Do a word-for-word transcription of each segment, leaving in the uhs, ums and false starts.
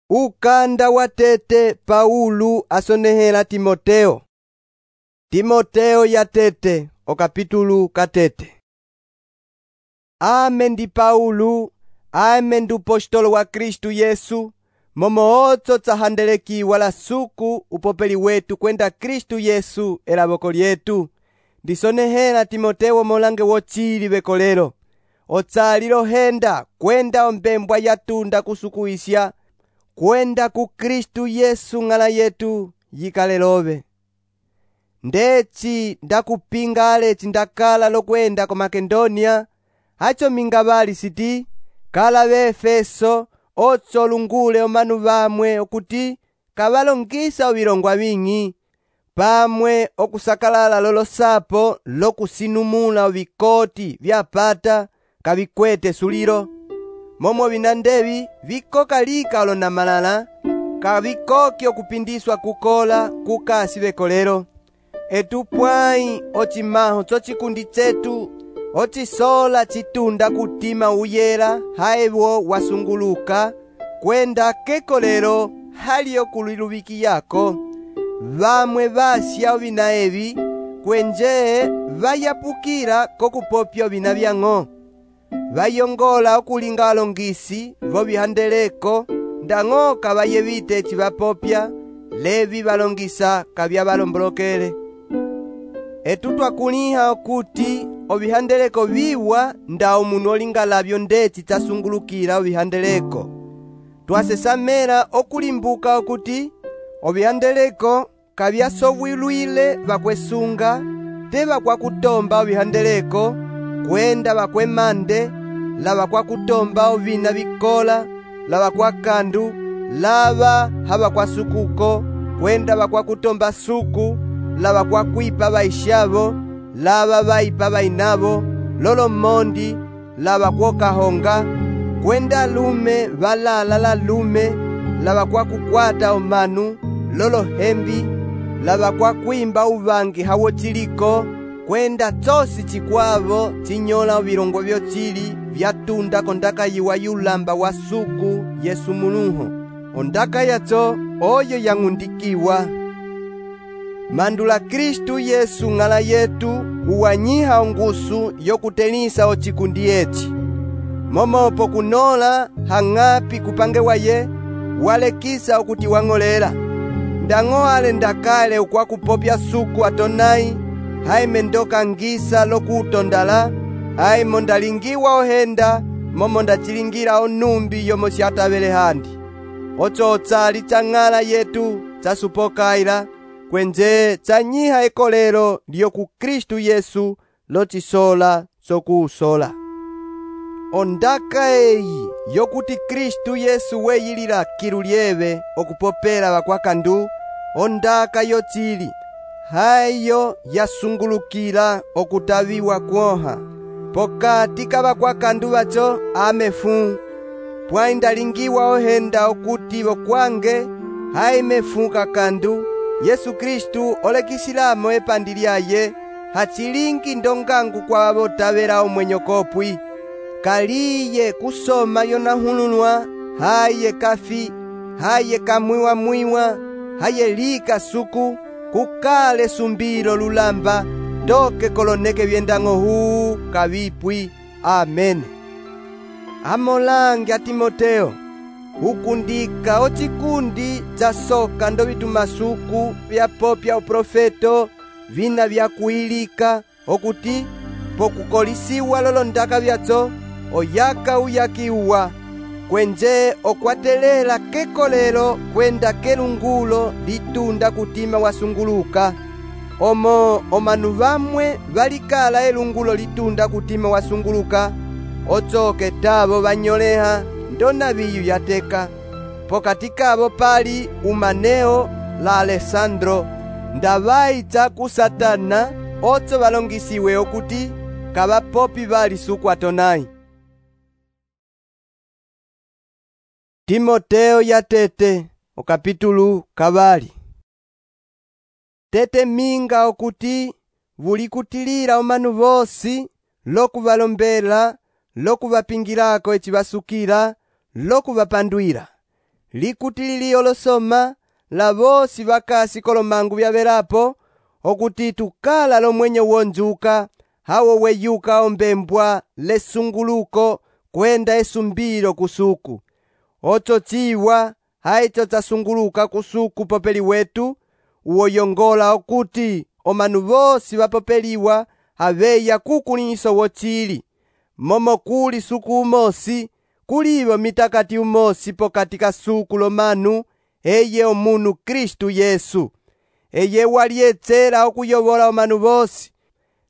Ukanda wa tete Paulo asonehela Timoteo. Timoteo ya tete o kapitulu katete. Ame ndi Paulo, ame ndi upostolo wa Kristu Yesu, momo otso tsahandelekiwa la suku upopeli wetu kwenda Kristu Yesu elaboko lyetu. Ndisonehela Timoteo molange wochili bekolero. Otsali lohenda kwenda ombembwa yatunda kusukuisya kwenda ku Kristu Yesu ng'ala yetu yikale lobe. Ndeci ndakupinga aleci ndakala lokwenda ko Makedonia, hacho mingabali siti kala be Efeso otso lungule omanu bamwe okuti kabalongisa obilongwa bing'i pamwe okusakalala lolosapo lokusinumula obikoti byapata kabikwete sulilo momo binandebi bikoka lika olonamalala kabikoki okupindiswa kukola kukasi bekolero. Etupwai ochimaho chochikundi chetu ochisola chitunda kutima uyela haewo wasunguluka kwenda kekolero haliyo kuliluwiki yako. Vamwe basya obina ebi kwenje vayapukira kokupopya obina byang'o. Vayongola okulinga alongisi vobihandeleko ndang'o kabayebite chibapopya levi balongisa kabya balombolokele. Etu twakuliha okuti obihandeleko biwa nda omunu olinga labyo ndeci tasungulukira obihandeleko. Twasesamela okulimbuka okuti obihandeleko kabyasobwilwile bakwesunga te bakwakutomba obihandeleko kwenda bakwemande laba kwakutomba ovina bikola laba kwakandu laba haba kwasukuko kwenda bakwakutomba suku laba kwakwipa baishabo laba baipa bainabo lolo mondi laba kwokahonga kwenda lume balala la lume laba kwakukwata omanu lolo hembi laba kwakwimba ubangi hawo chiliko kwenda tosi chikwavo chinyola obilongo byochili byatunda kondaka yiwa yulamba wa suku Yesu Mulungu. Ondaka yacho oyo yang'undikiwa mandula Kristu Yesu ng'ala yetu uwanyiha ongusu yokutelisa ochikundi echi. Momopo kunola hang'api kupange waye walekisa okuti wang'olela. Ndang'o ale ndakale ukwakupopya suku atonai haime ndoka ngisa lokutondala haimo ndalingiwa ohenda momo ndachilingira onumbi yomo syatabele handi. Ocho otsali chang'ala yetu chasupokaila kwenje chanyiha ekolero lyoku Kristu Yesu lochisola sokuusola. Ondaka eyi yokuti Kristu Yesu weyilila kilu lyebe okupopela bakwakandu ondaka yochili hayo yasungulukila okutabiwa kwoha pokati kabakwakandu bacho amefu pwai ndalingiwa ohenda okuti bokwange haimefu kakandu Yesu Kristu olekisilamo epandi lyaye hachilingi ndongangu kwa botabela omwenyo kopwi kaliye kusoma yonahululwa haye kafi haye kamwiwa mwiwa haye lika suku kukale sumbilo lulamba toke koloneke byendang'o huu kabipwi. Amen. Amolange a Timoteo ukundika ochikundi chasoka ndo bitumasuku byapopya uprofeto vina byakuilika okuti pokukolisiwa lolo ndaka byacho oyaka uyakiwa kwenje okwatelela kekolero kwenda kelungulo litunda kutima wasunguluka. Omo omanu bamwe balikala elungulo litunda kutima wasunguluka ochoke tabo banyoleha ndona biyu yateka. Pokati kabo pali Umaneo la Alessandro ndabaita ku Satana otso balongisiwe okuti kabapopi bali suku atonai. Timoteo ya tete o kapitulu kabali. Tete minga okuti vulikutilila omanu bosi lokubalombela lokubapingilako echibasukila lokubapandwila likutilili olosoma la vosi vakasi kolomangu vyavelapo, okuti tukala lomwenyo wonjuka, hawo weyuka ombembwa lesunguluko kwenda esumbilo kusuku. Ocho chiwa haicho tasunguluka kusuku popeli wetu, uwoyongola okuti omanu vosi vapopeliwa haveya kukuliso wochili. Momo kuli suku umosi, kulivo mitakati umosi pokati ka suku lomanu, eye omunu Kristu Yesu. Eye waliyetsela okuyovola omanu vosi.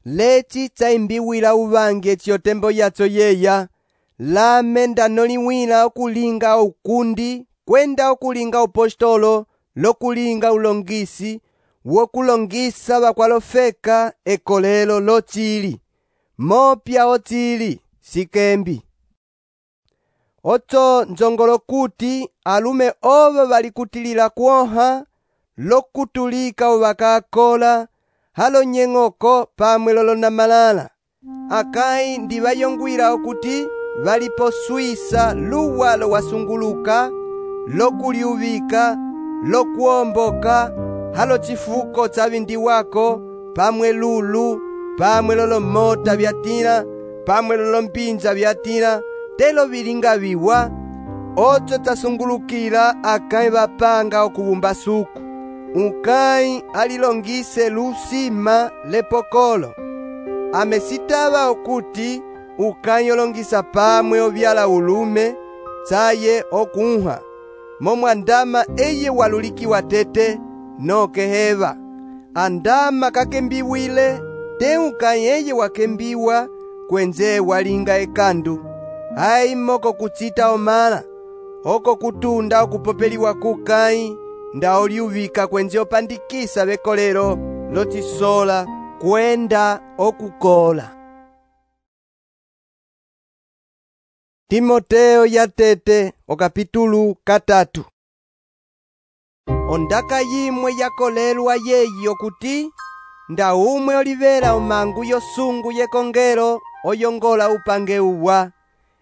Leci chaimbiwila uvangi eci tembo yacho yeya, lame ndanoliwila okulinga ukundi, kwenda okulinga upostolo, lokulinga ulongisi, wokulongisa vakwalofeka ekolelo lochili. Mopya ochili, sikembi. Ocho njongolo kuti alume ovo valikutilila kuoha, lokutulika ovakakola, halo nyeng'oko pamwe lolona malala. Akai ndivayongwila okuti valiposwisa luwalo wasunguluka, lokuliuvika, lokuomboka, halo chifuko chavindiwako, pamwe lulu, pamwe lolomota vyatila, pamwe lolombinja vyatila, telo vilinga viwa. Ocho tasungulukila akai vapanga okuvumba suku. Ukai alilongise lusima lepokolo. Amesitava okuti ukai olongisa pamwe ovyala ulume, chaye okunha. Momo andama eye walulikiwa tete, noke heva. Andama kakembiwile, te ukai eye wakembiwa, kwenze walinga ekandu. Hai moko kuchita omala, oko kutunda okupopeliwa kukai, nda oliuvika kwenze opandikisa vekolero, lochisola, kwenda okukola. Timoteo ya tete, okapitulu katatu. Ondaka yimwe yakolelwa yeyi okuti, nda umwe olivela omangu yosungu yekongelo, oyongola upange uwa.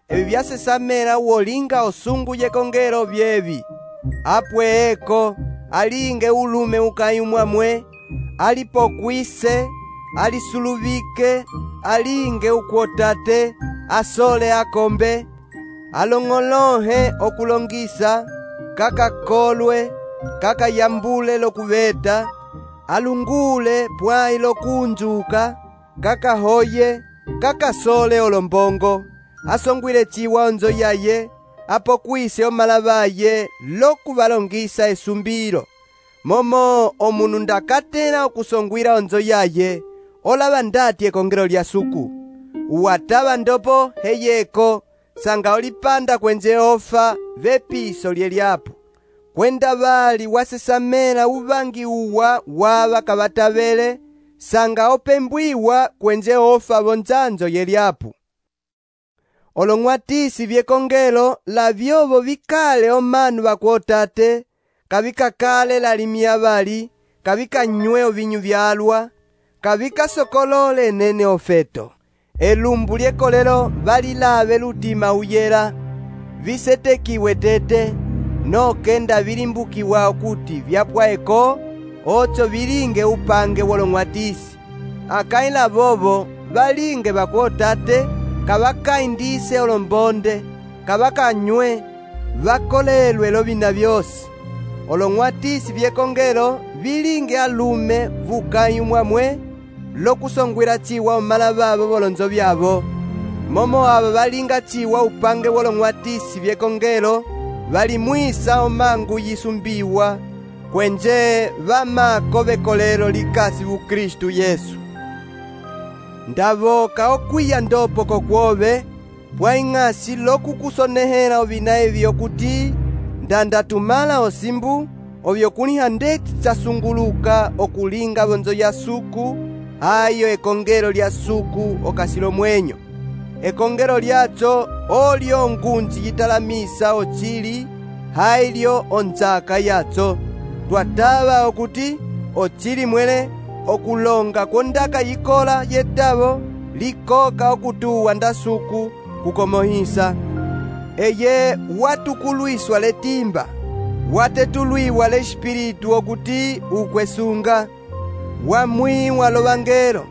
Ebi vyasesamela uolinga osungu yekongelo vyevi. Apwe eko, alinge ulume ukai umwamwe, alipokwise, alisuluvike, alinge ukuotate, asole akombe, alongolohe okulongisa, kakakolwe, kakayambule lokuveta, alungule pwai lokunjuka, kakahoye, kakasole olombongo, asongwile chiwa onzo yaye, apokwise omalavaye lokuvalongisa esumbilo. Momo omunu ndakatela okusongwila onzo yaye, olava ndati ekongelo lya suku. Uwatava ndopo heyeko, sanga olipanda kwenze ofa vepiso lyelyapo. Kwenda vali wasesamela uvangi uwa wava kavatavele, sanga opembwiwa kwenze ofa vonzanzo yelyapo. Olong'watisi vyekongelo la vyovo vikale omanu vakuotate, kavikakale lalimia vali, kavikanywe ovinyu vyalwa, kavikasokolole nene ofeto. Elumbu lyekolelo valilave lutima uyela, visetekiwe tete, nokenda vilimbukiwa okuti vyapwaeko, ocho vilinge upange wolong'watisi. Akaila vovo valinge vakuotate, kavakaindise olombonde, kavakanywe, vakolelwe lovina vyosi. Olong'watisi vyekongelo vilinge alume vukai umwamwe, lokusongwila chiwa omala vavo volonzo vyavo. Momo ava valinga chiwa upange wolong'watisi vyekongelo, valimwisa omangu yisumbiwa, kwenje vamako vekolelo likasi vu Kristu Yesu. Ndavoka okwiya ndopo kokwove, pwaing'asi lokukusonehela ovina evi okuti, ndandatumala osimbu, ovyokuliha ndeti chasunguluka okulinga vonzo ya suku, ayo ekongelo lya suku okasilo mwenyo. Ekongelo lyacho olyo ngunji yitalamisa ochili, hailyo onzaka yacho. Twatava okuti ochili mwele okulonga kwondaka yikola yetavo, likoka okutuwa ndasuku kukomohisa. Eye watukulwiswa letimba, watetulwiwa l'Espiritu okuti ukwesunga, wamwiwa lovangelo,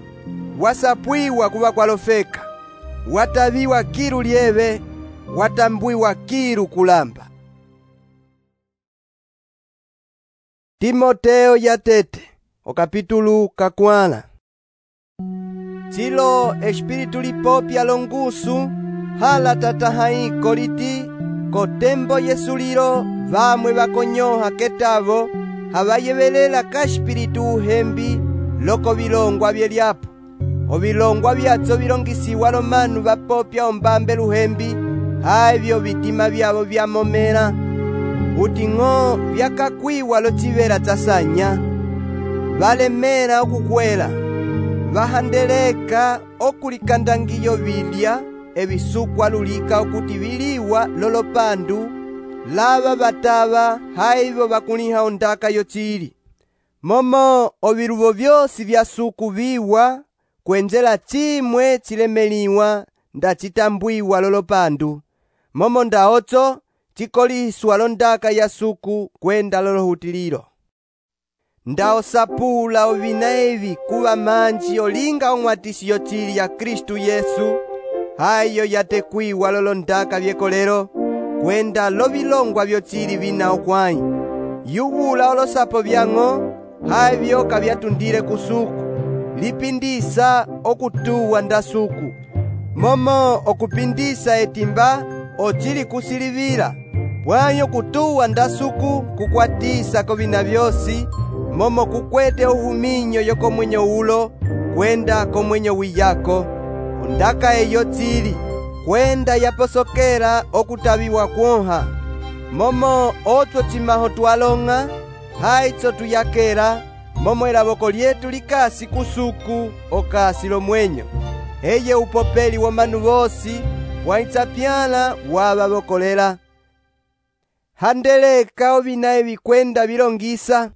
wasapwiwa kuva kwalofeka, wataviwa kilu lyeve, watambwiwa kilu kulamba. Timoteo yatete, o capítulo kakwala. Chilo Espiritu lipopya longusu, hala tatahaiko liti, kotembo yesulilo, vamwe vakonyoha ketavo, havayevelela ka Espiritu uhembi, loko vilongwa vyelyapo. O vilongwa vyatso vilongisiwa lomanu vapopya ombambe luhembi, haivyo vitima vyavo vyamomela. Uti ng'o vyakakwiwa locivela tsasanya, valemela okukwela, vahandeleka okulikandangiyo vilya, evisukwa lulika okuti viliwa lolopandu, lava vatava haivyo vakuliha ondaka yocili. Momo oviluvo vyosi vya suku viwa, kwenjela chimwe chilemeliwa nda chitambwiwa lolopandu. Momo ndaotso chikoliswa londaka ya suku kwenda lolohutililo. Ndaosapula ovina evi kuva manji olinga ong'watisi yocili ya Kristu Yesu, hayo yatekwiwa lolondaka vyekolelo, kwenda lovilongwa vyocili vina okwai. Yuvula olosapo vyang'o, havyo kavyatundile kusuku, lipindisa okutuwa nda suku. Momo okupindisa etimba, ochili kusilivila, pwayo kutuwa nda suku kukwatisa kovina vyosi, momo kukwete uhuminyo yoko mwenyo ulo, kwenda ko mwenyo wiyako. Ondaka eyo tsili, kwenda yaposokela okutaviwa kwonha. Momo otwo chimaho twalong'a, haitso tuyakela, momo elavoko lyetu likasi kusuku okasi lomwenyo. Eye upopeli wa manu vosi, waitsapyala wavavokolela. Handeleka ovina evi kwenda vilongisa,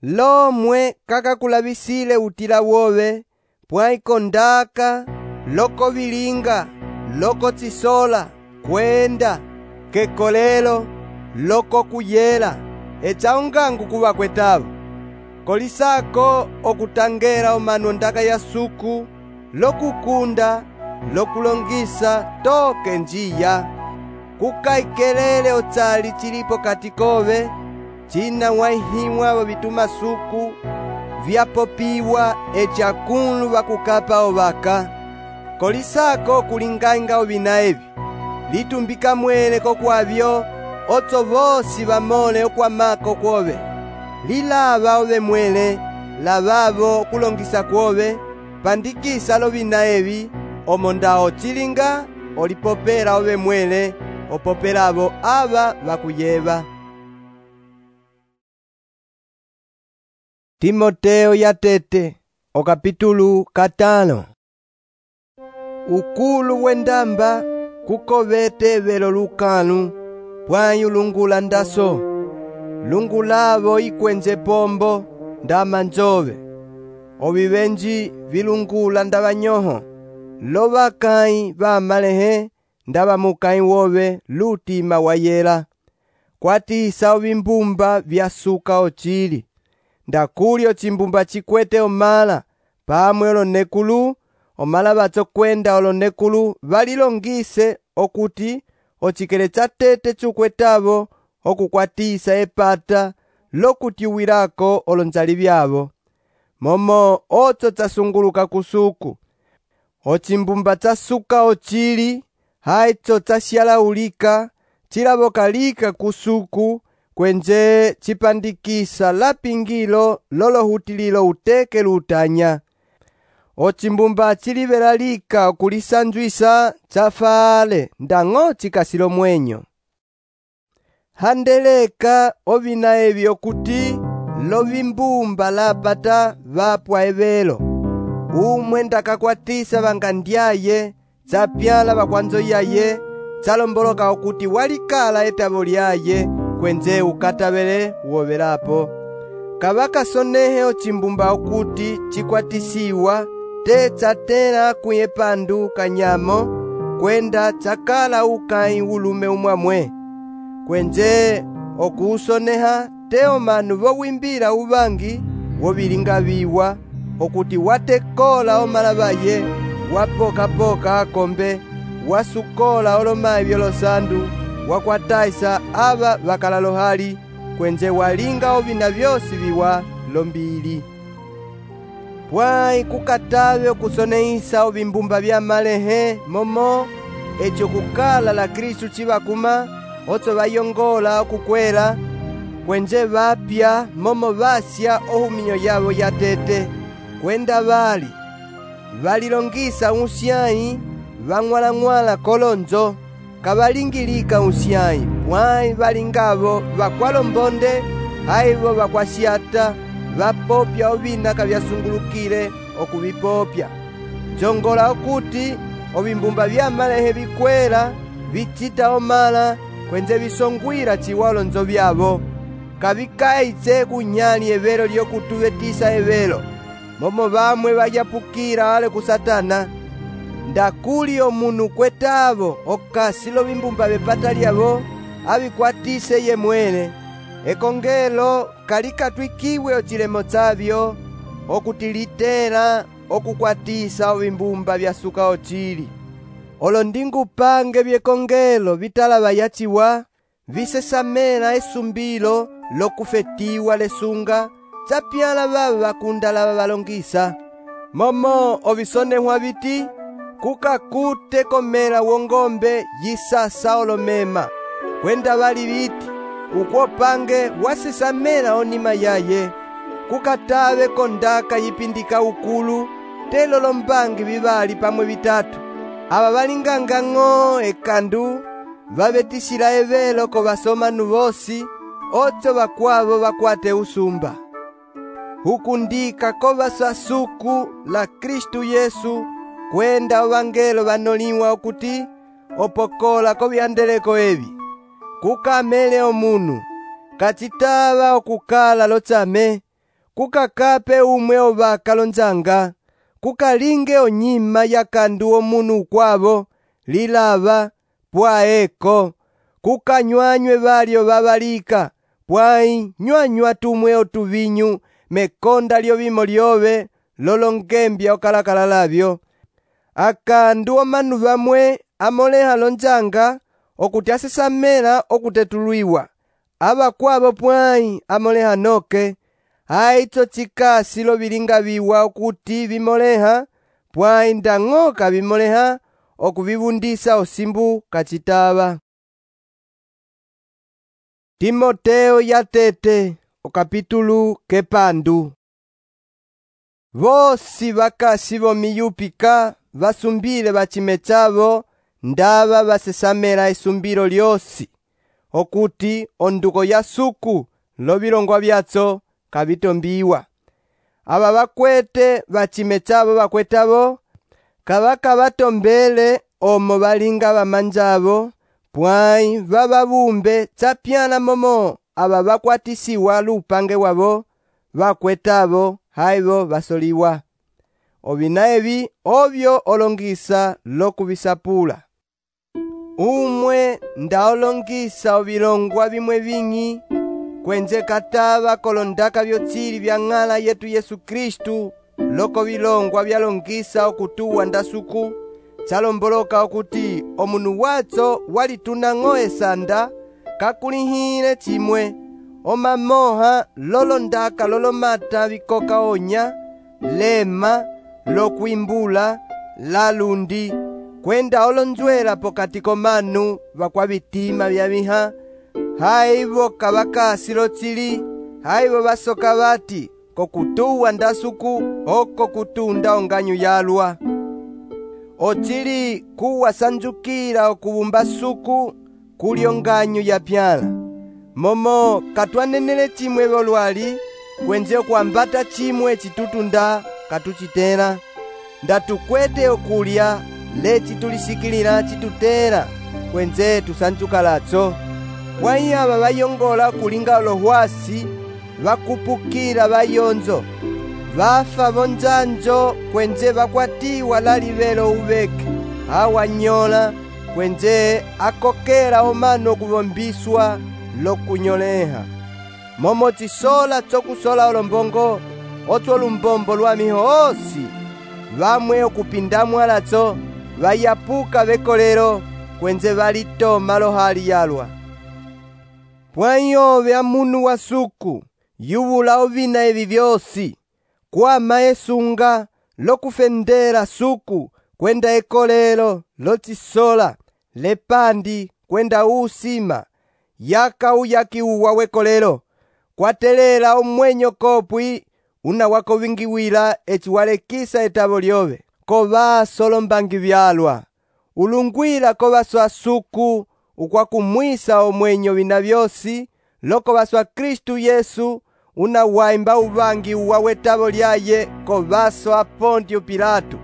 lomwe kakakulavisile utila wove, pwaiko ndaka, loko vilinga, loko tsisola, kwenda, kekolelo, loko kuyela, echa ongangu kuva kwetavo. Kolisako okutangela omanu ondaka ya suku, lokukunda, lokulongisa toke njiya. Kukaikelele otsali chilipo katikove, china waihimwa wavituma suku, vyapopiwa echa kunu vakukapa ovaka. Kolisako kulingainga ovina evi, litumbika mwele kokwavyo, otso vosi vamole okwamako kwove. Lilava ove mwele, lavavo kulongisa kwove, pandikisa lovina evi, omonda ochilinga, olipopela ove mwele, opopelavo ava vakuyeva. Timoteo yatete, o capítulo katano. Ukulu wendamba, kukovete velo lukanu, pwayu lungula ndaso, lungulavo ikwenje pombo, ndama njove. Ovivenji vilungula ndavanyoho, lovakai vamalehe, ndavamukai wove lutima wayela. Kwatisa ovimbumba vyasuka ochili, ndakulyo chimbumba chikwete omala, pamwe olonekulu, omala vatso kwenda olonekulu valilongise okuti ochikele chatete chukwetavo okukwatisa epata lokutiwilako olonzali vyavo. Momo otso tsasunguluka kusuku, ochimbumba tsasuka ochili, haitso tsasyalaulika, chilavokalika kusuku, kwenje chipandikisa lapingilo lolohutililo uteke lutanya. Ochimbumba chilivelalika okulisanjwisa chafale ndang'o chikasilo mwenyo. Handeleka ovina evi okuti lovimbumba lapata vapwa evelo. Umwe ndakakwatisa vangandyaye, tsapyala vakwanzo yaye, tsalomboloka okuti walikala etavo lyaye, kwenje ukatavele wovelapo. Kavakasonehe ochimbumba okuti chikwatisiwa, te tsatela kuyepandu kanyamo, kwenda tsakala ukai ulume umwamwe. Kwenje okuusoneha te omanu vowimbila uvangi wovilingaviwa, okuti watekola omalavaye, wapoka-poka akombe, wasukola olomayi vyolosandu, wakwatayisa ava vakala lohali, kwenze walinga ovina vyosi viwa lombili. Pwayi kukatave okusonehisa ovimbumba vya malehe momo, echo kukala la Kristu chivakuma, otso vayongola okukwela, kwenze vapya momo vasya ohuminyo yavo yatete, kwenda vali valilongisa unsyayi, vang'wala-ng'wala kolonzo, kavalingilika unsyayi, pwayi valingavo vakwalombonde, aivo vakwasyata, vapopya ovina kavyasungulukile okuvipopya. Njongola okuti ovimbumba vya malehe vikwela, vicita omala, kwenze visongwila ciwa olonzo vyavo, kavikayitse kunyali evelo lyokutuvetisa evelo, momo vamwe vayapukila ale ku Satana. Ndakuli omunu kwetavo okasi lovimbumba vepata lyavo, avikwatise ye mwene. Ekongelo kalikatwikiwe ocilemo tsavyo, okutilitela okukwatisa ovimbumba vyasuka ocili. Olo ndingupange vyekongelo vitalava yaciwa, visesamela esumbilo lokufetiwa lesunga, tsapyala vava vakunda lava valongisa. Momo ovisonehwa viti, kukakute komela wongombe yisasa olomema, kwenda vali viti, ukwopange wasesamela onima yaye, kukatave kondaka yipindika ukulu, telo lombangi vivali pamwe vitatu. Ava valinganga ng'o ekandu, vavetisila evelo ko vasomanu vosi, otso vakwavo vakwate usumba. Hukundika ko vasasuku la Kristu Yesu, kwenda ovangelo vanoliwa okuti opokola ko vyandeleko evi. Kukamele omunu, kacitava okukala lotsame, kukakape umwe ovaka lonzanga, kukalinge onyima yakandu omunu ukwavo, lilava, pwaeko, kukanyuanywe valyo vavalika, pwayi nyuanywa tumwe otuvinyu, mekonda lyovimo lyove, lolongembya okalakala lavyo. Akandu omanu vamwe amoleha lonzanga, okuti asesamela okutetulwiwa, avakwavo pwayi amoleha noke, aitso tsikasi lovilingaviwa okuti vimoleha, pwayi ndang'oka vimoleha, okuvivundisa osimbu kacitava. Timoteo yatete, okapitulu kepandu. Vosi vakasi vomiyupika vasumbile bacime chavo, ndava vasesamela esumbilo lyosi, okuti onduko ya suku lovilongwa vyatso kavitombiwa. Ava vakwete bacime chavo vakwetavo, kavakavatombele omo valinga vamanjavo, pwayi vavavumbe tsapyana momo ava vakwatisiwa lupange wavo, vakwetavo haivo vasoliwa. Ovina evi ovyo olongisa lokuvisapula. Umwe ndaolongisa ovilongwa vimwe vingi, kwenze katava kolondaka vyotsili vya ng'ala yetu Yesu Kristu, loko vilongwa vyalongisa okutuwa ndasuku, tsalomboloka okuti omunu watso walituna ng'o esanda, kakulihile chimwe, omamoha lolondaka lolomata vikoka onya, lema, lokwimbula, lalundi, kwenda olonzwela pokati komanu vakwavitima vyaviha, haivo kavakasi lotsili, haivo vasoka vati, kokutuwa ndasuku, oko kutunda onganyu yalwa. Otsili kuwasanjukila okuvumba suku, kuli onganyu yapyala. Momo katwanenele chimwe volwali, kwenze okuambata chimwe chitutunda katuchitela. Ndatukwete okulya, leci tulisikilila chitutela, kwenze tusanjuka latso. Pwayi ava vayongola kulinga olohwasi, vakupukila vayonzo, vafa vonzanjo, kwenze vakwatiwa lalivelo uveke, awanyola, kwenze akokela omano okuvombiswa, lokunyoleha. Momo cisola cokusola olombongo, otso lumbombo lwa mihosi. Vamwe okupindamwa latso, vayapuka vekolelo, kwenze valitoma lohali yalwa. Pwanyove amunu wa suku, yuvula ovina evi vyosi. Kwama esunga, lokufendela suku, kwenda ekolelo, lotisola, lepandi, kwenda usima, yaka uyaki uwa wekolelo. Kwatelela omwenyo kopwi, una wako vingiwila eci walekisa etavo lyove. Kovaso lombangi vyalwa. Ulungwila kovaso asuku, ukwakumwisa omwenyo vina vyosi, loko vaso a Kristu Yesu, una waimba uvangi uwa wetavo lyaye, kovaso a Pontio Pilato.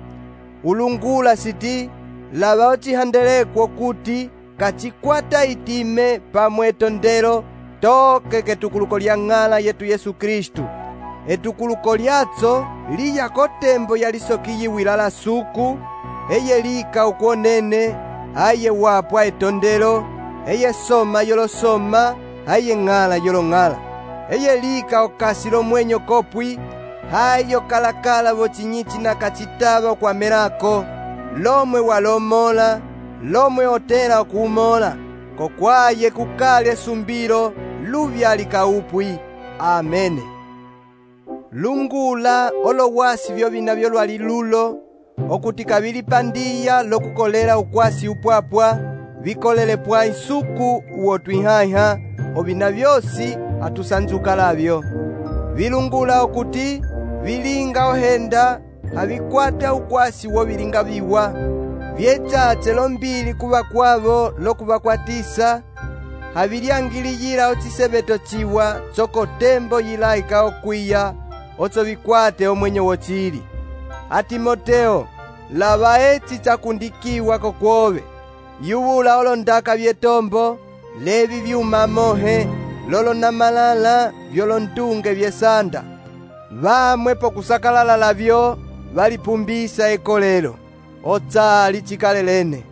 Ulungula siti, lava ocihandelekwo kuti, kachikwata itime pamwe etondelo, toke ketukuluko lya ng'ala yetu Yesu Kristu. Etukuluko lyatso liya kotembo yalisokiyiwila la suku, eye lika ukwonene, aye wapwa etondelo, eye soma yolosoma, aye ng'ala yolong'ala. Eye lika okasi lomwenyo kopwi, hayo kalakala vocinyici na kacitava kwa melako, lomwe walomola, lomwe otela okumola, kokwaye kukali esumbilo, luvyali kaupwi. Amene. Lungula olowasi vyovina vyolwali lulo, okuti kabilipandiya lokukolela ukwasi upwapwa, vikolele pwa isuku uwotwihaiha, ovina vyosi atusanzuka lavyo. Vilungula okuti vilinga ohenda, havikwata ukwasi wo vilinga viwa, vyetatse lombili kuva kwavo lokuvakwatisa, havilyangiliyila ocisebeto ciwa coko tembo yilaika okwiya, otso vikwate omwenyo wocili. A Timoteo, lava eci cakundikiwa kokwove, yuvula olondaka vyetombo, levi vyuma mohe, lolo na malala, vyolondunge vyesanda. Vamwe pokusakalala lavyo, valipumbisa ekolelo, otsali cikalelene.